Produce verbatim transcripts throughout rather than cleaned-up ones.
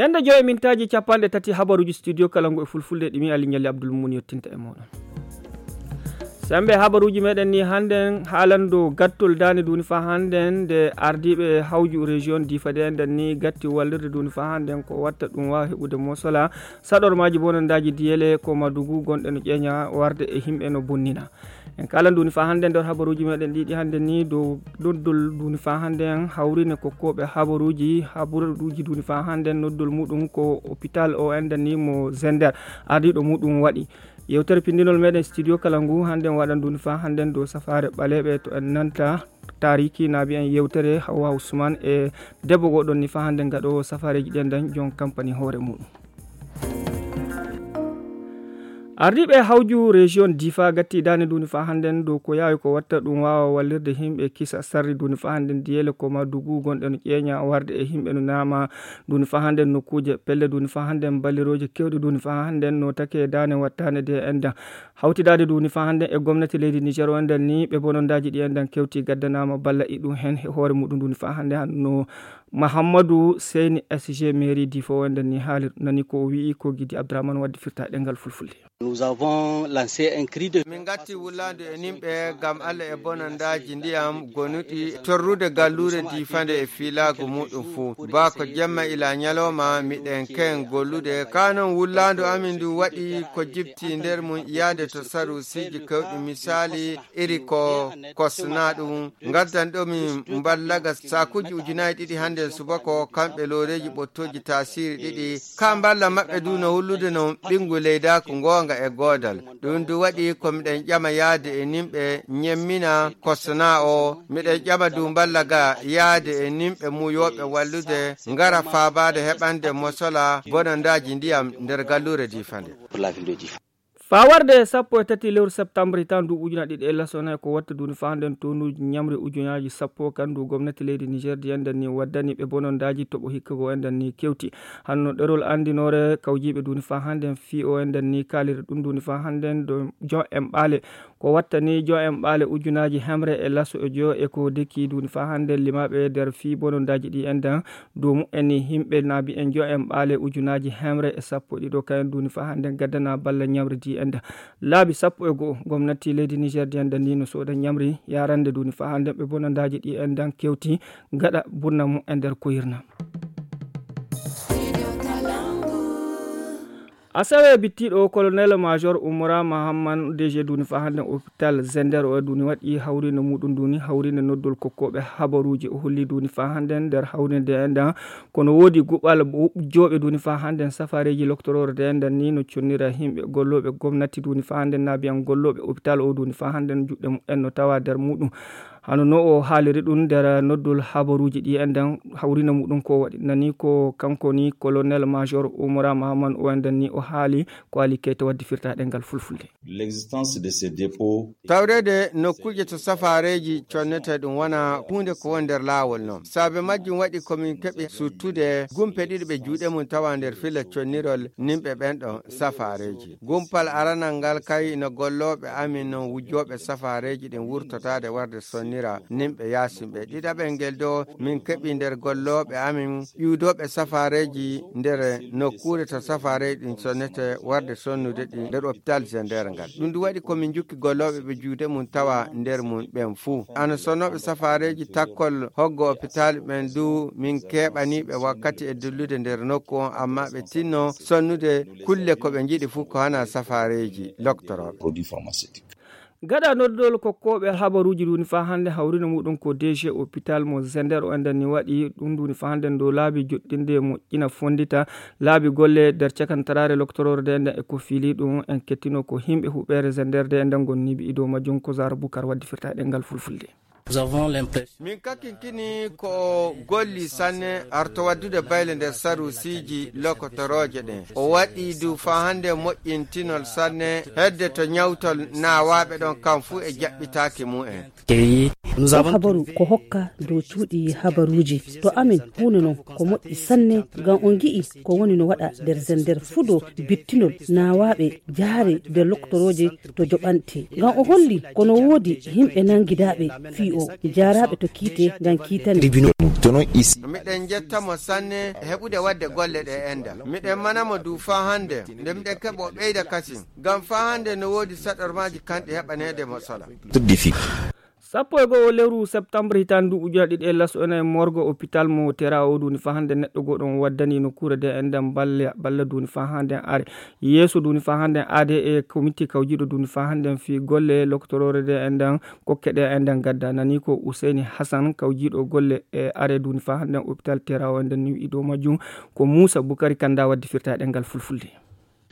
Ende joyi mintaaji capanɗe tati habaruuji studio kala ngu e fulfulde ɗi mi Ali Ñalli Abdul Mumin yottinta e mooɗon. Sembe habaruuji meɗen ni hannden haalando gattol daane duni fa hannden nde ardiiɓe hawju région Difa de enden ni gatti wallirde duni fa hannden ko watta ɗum waawa heɓude mosola saɗormaaji bonandaaji diyele ko Madugu gonɗe no ƴeeña warde e himɓe no bonnina. En kala nduni fa hannden nder habaruuji meɗen ɗiɗi hannden ni dow noddol nduni fa hannden hawrine ko koɓe habaruuji habaruuji nduni fa hannden noddol muɗum ko hôpital o enden ni mo Zender ardiiɗo muɗum waɗi. Yewtere pindinol meɗen studio kala ngu hannden waɗan nduni fa hannden dow safaare ɓaleeɓe to en nanta taariki naabi en yewtere Hawwa Usman e debbo goɗon ni fa hannden gaɗo safareeji ɗen dañ jon kampani hoore muɗum. Ardiiɓe hawju région Difa gatti daane duni fa hannden dow ko yaawi ko watta ɗum waawa wallirde himɓe kisa sarri duni fa hannden diyele ko Madugu gonɗe no ƴeeña warde e himɓe no naama duni fa hannden nokkuuje pelle duni fa hannden ballirooje kewɗe duni fa hannden no take daane wattaane de enden hawtidaade duni fa hannden e gomnati leydi Niger o enden ni ɓe bonondaaji ɗi enden kewti gaddanaama balla e ɗum heen e hoore muɗum duni fa hannden hanno Mahammadu Seyni S G mairie Difa o enden ni haalir nani ko o wi'i ko Gidi Abdourahmane waddi firta ɗengal fulfulde. Nous avons lancé un cri de Min gatti wullaandu e nimɓe ngam Allah e bonandaaji ndiyam gonuɗi torrude galluure Difa nde e fiilaagu muɗum fuu. Ba ko jemma ila ñalawma miɗen ken gollude. Ka non wullaandu amin ndu waɗi ko jibti nder mum yaade to sarusiiji kewɗi misaali iri ko kosna ɗum. Ngaddan ɗo min mballaga saakuuji ujunaaji ɗiɗi hannde subako kamɓe looreeji ɓottooji taasiiri ɗiɗi. Ka mballa maɓɓe du no hullude no ɓinngu leydaaku ngoonga e goodal. Ɗum du waɗi ko miɗen ƴama yaade e nimɓe ñemmina kosna o. Miɗen ƴama du mballa ga yaade e nimɓe muyooɓe wallude ngara faabaade heɓande mosola bonandaaji ndiyam nder galluure Difa nde. Pour la ville de Difa. Faa warde e sappo e tati lewru septembre hitaan ndu ujuna ɗiɗi e laso nayi ko watta duni fa hannden tonuuji ñamri ujunaaji sappo kan ndu gomnati leydi Niger di enden ni waddani ɓe bonondaaji toɓo hikka go enden ni kewti. Hanno ɗerol anndinoore kawjiiɓe duni fa hannden fii o enden ni kaaliri ɗum duni fa hannden do jon en ɓaale. Ko wattani jon en ɓaale ujunaaji hemre e laso e jo e ko deki duni fa hannden limaaɓe nder fii bonondaaji ɗi enden dow mu'en ni himɓe naabi en jo en ɓaale ujunaaji hemre e sappo ɗiɗo kayen duni fa hannden gaddana balla ñamri di enden. Laabi sappo e go'o gomnati leydi Niger di enden ni no sooda ñamri yarande duni fa hannden ɓe bonondaaji ɗi enden kewti gaɗa burna mu'en nder koyirna. Asawe bittiiɗo colonel major Umura Mahamman D G duni fa hannden hôpital Zender o duni waɗi hawrinde muɗum duni hawrinde noddol kokkooɓe habaruuji o holli duni fa hannden nder hawrinde enden kono woodi guɓal jooɓe duni fa hannden safareeji loktoroore de enden ni no connira himɓe gollooɓe gomnati duni fa hannden naabiyan gollooɓe hôpital o duni fa hannden juɗɗe mumen no tawa nder muɗum. Hano no o haaliri ɗum nder noddol habaruuji ɗi enden hawrina muɗum ko waɗi nani ko kanko ni colonel major Umura Mahamman o enden ni o haali ko Ali Keita waddi firtaɗe ngal fulfulde. L'existence de ces dépôts. Tawreede nokkuuje to safareeji connete ɗum wona huunde ko woni nder laawol noon. Saabe majjum waɗi ko min keɓi suttude gumpe ɗiɗi ɓe juuɗe mum tawa nder filla connirol nimɓe ɓen ɗon safareeji. Gumpal aranal ngal kay no gollooɓe amin non wujjooɓe safareeji ɗin wurtotaade warde sonnira nimɓe yaasin ɓe. Ɗiɗaɓel ngel do min keɓi nder gollooɓe amin ƴuudooɓe safareeji nder nokkuure to safareeji ɗin sonnete warde sonnude ɗi nder hôpital Zender ngal. Ɗum du waɗi ko min jukki gollooɓe ɓe juuɗe mum tawa nder mum ɓen fuu. Ana sonnooɓe safareeji takkol hoggo hôpital ɓen du min keɓaniiɓe wakkati e dillude nder nokku on, amma ɓe tinno sonnude kulle ko ɓe njiɗi fuu ko hana safareeji loktorooɓe. Produits pharmaceutiques. Gaɗa noddol kokkooɓe habaruuji duni fa hannde hawrino muɗum ko D G hôpital mo Zender o enden ni waɗi ɗum duni fa hannde dow laabi joɗɗinde moƴƴina fonndita laabi golle nder cakantaraare loktoroore de enden e ko fiili ɗum en kettino ko himɓe huɓeere Zender de enden gonniiɓe e dow majjum ko Zara Bukar waddi firtaɗe ngal fulfulde. Nous avons l'impression Min kakinkini ko o golli sanne arto waddude bayle nder sarusiiji lokotorooje ɗen. O waɗi du fa hannde moƴƴintinol sanne hedde to ñawtol naawaaɓe ɗon kam fuu e jaɓɓitaaki mumen. Accueilli Ɗum habaru ko hokka dow cuuɗi habaruuji. To amin huunde noon ko moƴƴi sanne, ngam on ngi'i ko woni no waɗa nder zender fuu dow bittinol naawaaɓe jaare nder loktorooje to joɓante. Ngam o holli ko no woodi yimɓe nanngidaaɓe fii o jaaraaɓe to kiite ngam kiitane. Miɗen njetta mo sanne e heɓude waɗde golle ɗe enɗan. Miɗen mana mo du faa hannde nde miɗen keɓa o ɓeyda kasin. Ngam faa hannde no woodi saɗormaaji kanɗi heɓaneede mo sola. Sappo e go'o lewru septembre hitaande ndu ujunere ɗiɗi e laso ena e morgo hôpital mo Tera o duuni faa hannde neɗɗo goɗɗo on waddani nokkuure de enɗan balla, balla duuni faa hannde are. Yeeso duuni faa hannde aade e komiti kawjiiɗo duuni faa hannde fii golle lokotoroore de enɗan kokke de enɗan gadda. Nani ko Useyni Hasan kawjiiɗo golle e are duuni faa hannde hôpital Tera o enɗan ni wi'i dow majjum. Ko Muusa Bukari Kanda waddi firta e ɗemngal fulfulde.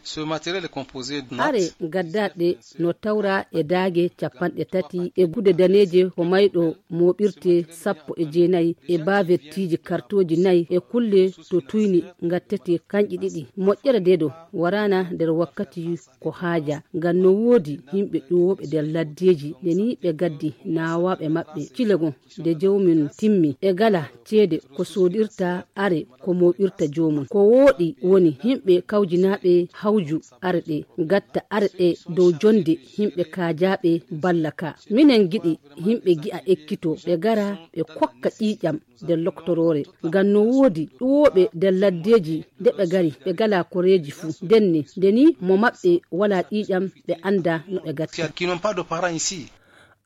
Ce matériel est composé de are gaddaaɗe no tawra e daage capanɗe tati e gude daneeje ko mayɗo mooɓirte sappo e jeenayi e bavettiiji kartooji nayi e kulle to tuyni ngattetee kanƴe ɗiɗi. Moƴƴere deedo waraana nder wakkati ko haaja ngam no woodi yimɓe ƴuwooɓe nder laddeeji nde ni ɓe gaddi naawaaɓe maɓɓe cilegon nde jawmin timmi e gala ceede ko soodirta are ko mooɓirta joomum. Ko wooɗi woni yimɓe kawjinaaɓe hawju are ɗe gatta are ɗe dow jonde yimɓe kaajaaɓe balla ka. Minen ngiɗi yimɓe gi'a ekkito ɓe gara ɓe kokka ƴiiƴam nder loktoroore. Ngam no woodi ƴuwooɓe nder laddeeji nde ɓe gari ɓe gala koreeji fuu. Ndenne nde ni mo maɓɓe walaa ƴiiƴam ɓe annda no ɓe gatta.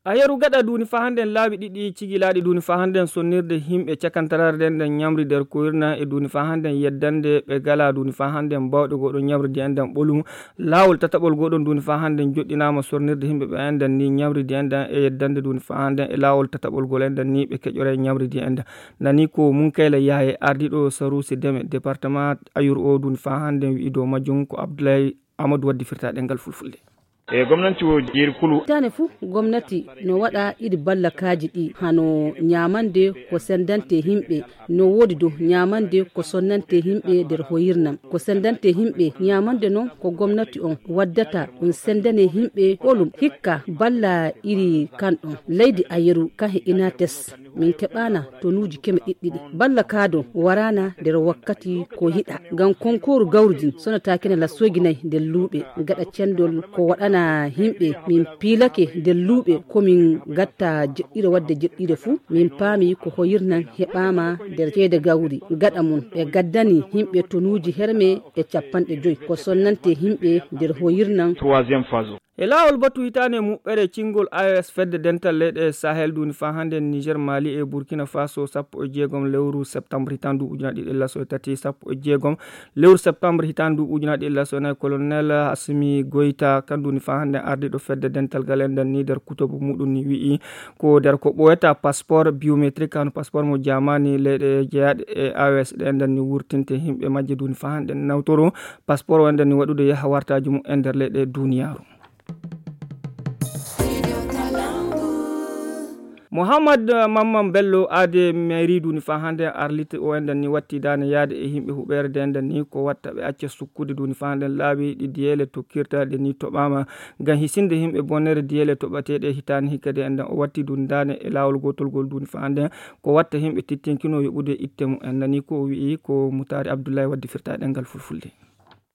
A yeru gaɗa duuni faa hannden laabi ɗiɗi cigilaaɗi duuni faa hannden sonnirde yimɓe cakantaraare nden nden ñamri nder koyirna e duuni faa hannden yeddande ɓe gala duuni faa hannden bawɗe goɗo ñamri di enɗan ɓolum. Laawol tataɓol goɗon duuni faa hannden joɗɗinaama sonnirde yimɓe ɓe enɗan ni ñamri di enɗan e yeddande duuni faa hannden e laawol tataɓol gol enɗan ni ɓe keƴore ñamri di enɗan. Nani ko Munkayla Yaaye ardiiɗo Saruusi Deme département Ayur o duuni faa hannden wi'i dow majjum ko Abdoulaye Amadou waddi firta ɗemngal fulfulde. E gomnanti o jeeri kulu. Hitaande fuu gomnati no waɗa iri ballakaaji ɗi hano ñaamande ko senndante yimɓe, no woodi dow ñaamande ko sonnante yimɓe nder hoyirnam. Ko senndante yimɓe ñaamande noon ko gomnati on waddata ɗum senndane yimɓe ɓolum hikka balla iri kan ɗon. Leydi Ayeru kan he Inates. Min keɓaana tonuuji keme ɗiɗɗiɗi. Balla kaado waraana nder wakkati ko yiɗa. Ngam konkooru gawri ndin sonataakina lassoygi nayi nder luuɓe. Gaɗa cendol ko waɗana yimɓe. Min piilake nder luuɓe ko min gatta jeɗɗire wadde jeɗɗire fuu. Min paami ko hoyirnan heɓaama nder ceede gawri. Gaɗa mum ɓe gaddani yimɓe tonuuji herme e capanɗe joy. Ko sonnante yimɓe nder hoyirnan. Troisième phase. E laawol batu hitaande muɓɓere cingol A E S fedde dental leyɗe Sahel duuni faa hannde Niger, Mali e Burkina Faso sappo e jeegom lewru septembre hitaande ujunaaji ɗiɗi e laso e tati, sappo e jeegom lewru septembre hitaande ujunaaji ɗiɗi e laso e nayi, colonel Assimi Goïta kan duuni faa hannde ardiiɗo fedde dental gal enɗan ni nder kutuba muɗum ni wi'i ko nder ko ɓooyata passeport biométrique hano passeport mo jamaani leyɗe jeyaaɗe e A E S ɗe enɗan ni wurtinte yimɓe majje duuni faa hannde nawtoro passeport o enɗan ni waɗude yaha wartaaji mum e nder leyɗe duniyaaru. Mouhammad Mamman Bello aade mairie duuni faa hannde Arlit o enɗan ni watti daane yaade e yimɓe huɓeere de enɗan ni ko watta ɓe acca sukkude duuni faa hannde laabi ɗi diyeele tokkirta de ni toɓaama ngam hisinde yimɓe bonnere diyeele toɓateeɗe hitaande hikka de enɗan o watti duuni daane e laawol gootol gol duuni faa hannde ko watta yimɓe tittinkino yoɓude itte mum en nani ko o wi'i ko Mutaari Abdullahi waddi firta ɗemngal fulfulde.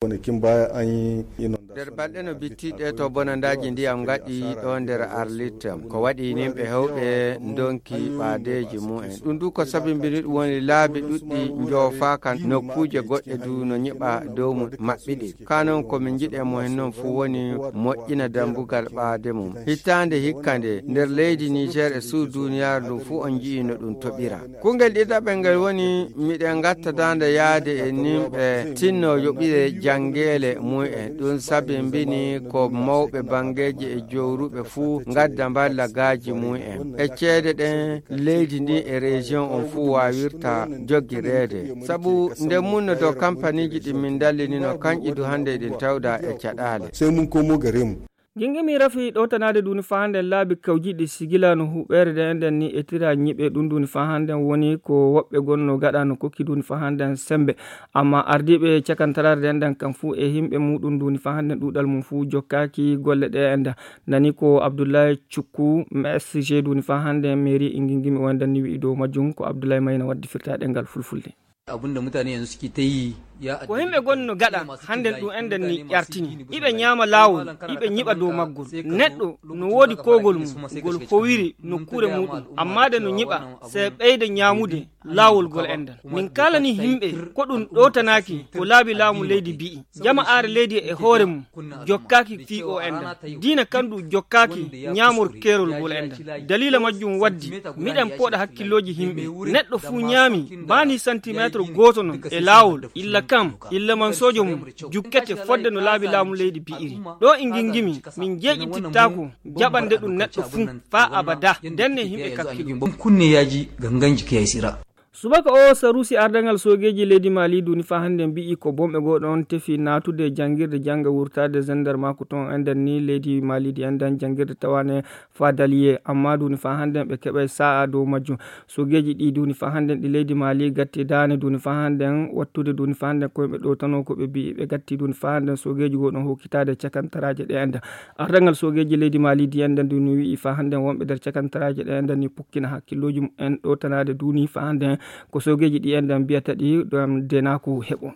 Woni Kimba an yi ino. Nder balɗe no bittiɗe to bonandaaji ndiyam ngaɗi ɗo nder Arlit. Ko waɗi yimɓe heewɓe ndonki ɓaadeeji mumen. Ɗum du ko sabimbini ɗum woni laabi ɗuɗɗi njoofaaka nokkuuje goɗɗe du no nyiɓa dow mum maɓɓiɗe. Ka noon ko min njiɗi e mo hen noon fuu woni moƴƴina dambugal ɓaade mum. Hitaande hikka nde nder leydi Niger e suudu duniyaaru ndu fuu on nji'i no ɗum toɓira. Kungel ɗiɗaɓel ngel woni miɗen ngatta daande yaade e nimɓe tinno yoɓire janngeele mumen. Ɗum sabimbini ko mawɓe banngeeji e jowruɓe fuu ngadda mballa gaaji mumen. E ceede ɗen leydi ndi e région on fuu waawirta joggireede. Sabu nde munno dow kampaniiji ɗi min ndallinino kanƴi du hannde eɗin tawda e caɗaale. Sai mun komo gare mu. Gingimi rafi ɗowtanaade duuni faa hannden laabi kawjiiɗi sigila no huɓeere nde enɗen ni etira ñiɓe ɗum duuni faa hannden woni ko woɓɓe gonno gaɗa no kokki duuni faa hannden sembe. Amma ardiiɓe cakantaraare nde enɗen kam fuu e himɓe muɗum duuni faa hannden ɗuuɗal mum fuu jokkaaki golle ɗe enɗen. Nani ko Abdullahi Cukku, M S G duuni faa hannden mairie e Gingimi o enɗen ni wi'i dow majjum ko Abdullahi Mayna waddi firtaaɗe ngal fulfulde. Abin da mutane yanzu suke ta yi ya Ko himɓe gonno gaɗa hannden ɗum enɗen ni ƴartini. Iɓe ñaama laawol, iɓe ñiɓa dow maggol. Neɗɗo no woodi kogol mum, ngol howiri nokkuure muɗum. Amma de no ñiɓa, se ɓeyda ñaamude laawol gol enɗen. Min kaalani himɓe ko ɗum ɗowtanaaki ko laabi laamu leydi bi'i. Jama aare leydi e hoore mum jokkaaki fii o enɗen. Diina kan ɗum jokkaaki ñaamor keerol gol enɗen. Daliila majjum waddi miɗen pooɗa hakkillooji himɓe. Neɗɗo fuu ñaami baani santimeetre gooto non e laawol, illa kam, illa man soojo mum jukkete fodde no laabi laamu leydi bi'iri. Ɗo e Gingimi, min jeeƴitittaako jaɓande ɗum neɗɗo fuu faa abada. Ndenne himɓe kakkilo. Kunne yaji ganganji kiyai sira. Subaka o, Sarusi ardangal soogeeji leydi Mali duuni faa hannden mbi'i ko bomɓe goo ɗon tefi naatude janngirde jannga wurtaade gendarmerie ton enɗen ni leydi Mali di enɗen janngirde tawaane Fadaliye, amma duuni faa hannden ɓe keɓay sa'a dow majjum. Soogeeji ɗi duuni faa hannden ɗi leydi Mali gatti daane duuni faa hannden wattude duuni faa hannden ko ɓe ɗowtano ko ɓe mbi'i ɓe gatti duuni faa hannden soogeeji goo ɗon hokkitaade cakantaraaje ɗe enɗen. Ardangal soogeeji leydi Mali di enɗen duuni wi'i faa hannden wonɓe nder cakantaraaje ɗe enɗen ni pukkina hakkillooji mumen ɗowtanaade duuni faa hannden ko soogeeji ɗi enɗen mbiyata ɗi ɗon denaaku heɓo.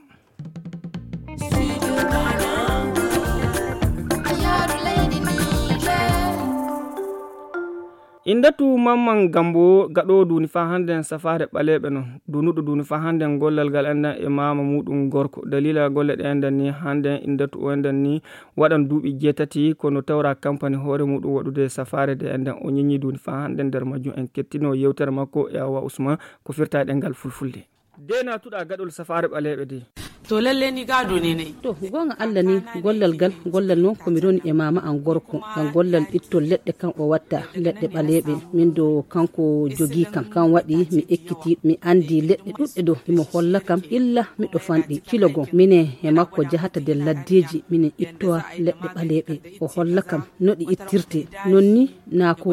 Indatu Mamman Gambo gaɗoowo duuni faa hannden safaare ɓaleeɓe non. Duunuɗo duuni faa hannden gollal ngal enɗen e maama muɗum gorko. Daliila golle ɗe enɗen ni hannden Indatu o enɗen ni waɗan duuɓi jeetati kono tawra kampani hoore muɗum waɗude safaare de enɗen o ñiñi duuni faa hannden nder majjum en kettino yewtere makko e Awa Usman ko firtaaɗe ngal fulfulde. De naatuɗa gaɗol safaare ɓaleeɓe de. To lalle ni gado ne nayi. To goonga Allah ni gollal gal gollal noon ko mi roni e maama an gorko ngam gollal ittol leɗɗe kan o watta leɗɗe ɓaleeɓe min do kanko jogii kam kan waɗi mi ekkiti mi andi leɗɗe ɗuɗɗe do himo holla kam illa miɗo fanɗi kilo goo minen e makko jahata nder laddeeji minen ittowa leɗɗe ɓaleeɓe o holla kam no ɗi ittirte non ni na ko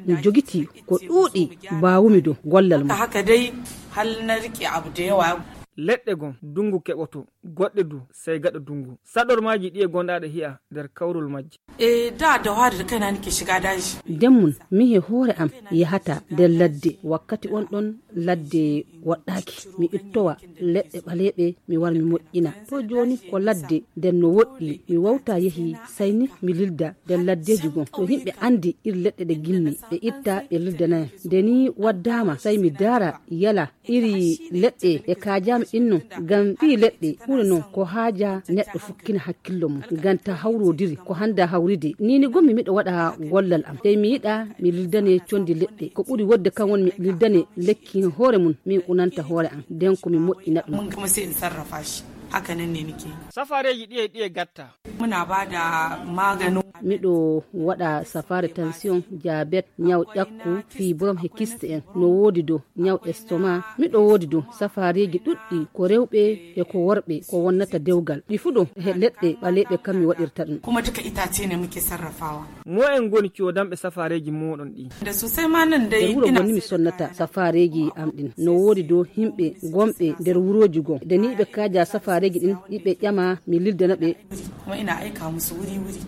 mi jogiti ko ɗuuɗi baawumi do gollal mum. Haka dai hal na riƙe abu da yawa. Leɗɗe goo dungu keɓoto goɗɗe du sey gaɗa dungu saɗormaaji ɗi e gonɗaaɗe hi'a nder kawrol majji. E da da hwari da kaina nake shiga daji. Demmun mi he hoore am yahata nder ladde wakkati on ɗon ladde woɗɗaaki mi ittowa leɗɗe ɓaleeɓe mi war mi moƴƴina to jooni ko ladde nden no woɗɗi mi wawta yehi sayni mi lilda nder laddeeji goo to yimɓe andi ir leɗɗe ɗe gimmi ɓe itta ɓe lildanaya nde ni waddaama say mi daara yala iri leɗɗe ɗe kaajaama inno ngam fii leɗɗe ɓuri noon ko haaja neɗɗo fukkina hakkillo mum ngam ta hawrodiri ko hannda hawridi nini gommi miɗo waɗa gollal am tey mi yiɗa mi lildane condi leɗɗe ko ɓuri wodde kan woni mi lildane lekki hoore mum min unanta hoore am nden ko mi moƴƴina ɗum. Mun kuma sai in sarrafa shi haka nan ne nake. Safareeji ɗiye ɗiye gatta. Muna ba da maganin. Miɗo waɗa safaare tension, diabète, ñaw ƴakku, fibrome he kiste en. No woodi do ñaw estomac. Miɗo woodi do safareeji ɗuɗɗi ko rewɓe e ko worɓe ko wonnata dewgal. Ɗi fuu ɗo he leɗɗe ɓaleeɓe kam mi waɗirta ɗum. Kuma duka itace ne muke sarrafawa. Mo'en ngoni coodanɓe safareeji mooɗon ɗi. Da sosai ma nan dai. E wuro gonmi sonnata safareeji am ɗin. No woodi do himɓe gonɓe nder wurooji goo. Da ni ɓe kaaja safareeji ɗin ɗi ɓe ƴama mi lildana ɓe. Kuma ina aika musu wuri wuri.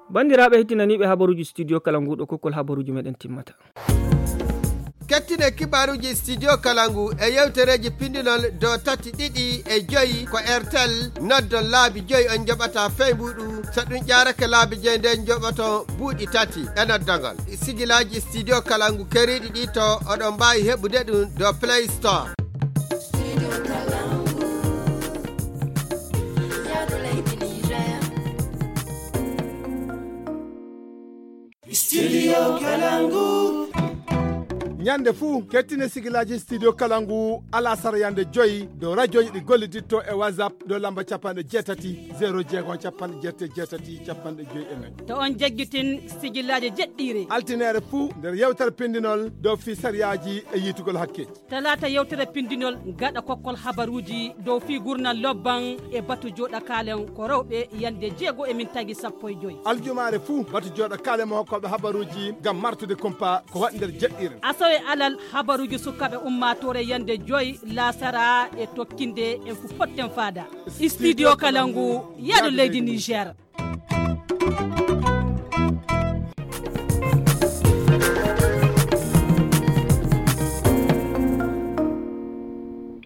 Banndiraaɓe hettinaniiɓe habaruuji studio kala nguuɗo kokkol habaruuji meɗen timmata. Kettine kibaaruuji studio kala ngu e yewtereeji pindinol do tati ɗiɗi e joyi ko R T L noddon laabi joyi on njoɓata fey mbuɗu so ɗum ƴaarake laabi joyi nden njoɓoto buuɗi tati e noddagol. Sigilaaji studio kala ngu keriiɗi ɗi to oɗon mbaawi heɓude ɗum do Play Store. Studio Kalangu. Yande fuu kettine sigilaaji studio kala ngu alasara yande joyi dow rajoji ɗi golliditto e whatsapp dow lamba capanɗe jeetati zero jeego capanɗe jeetati jeetati capanɗe joyi e nayi. To on jaggitin sigilaaji jeɗɗiire. Altinere fuu nder yewtere pindinol dow fii sariyaaji e yiitugol hakke. Talaata yewtere pindinol gaɗa kokkol habaruuji dow fii gurnal lobban e batu jooɗa kaalen ko rewɓe yande jeego e min tagi sappo e joyi. Aljumaare fuu batu jooɗa kaalen mo hokkooɓe habaruuji ngam martude kumpa ko waɗi nder jeɗɗiire. Asawe alal habaruuji sukaaɓe ummaatoore yande joyi laasara e tokkinde en fu potten faada. Studio kala ngu yaadu leydi Niger.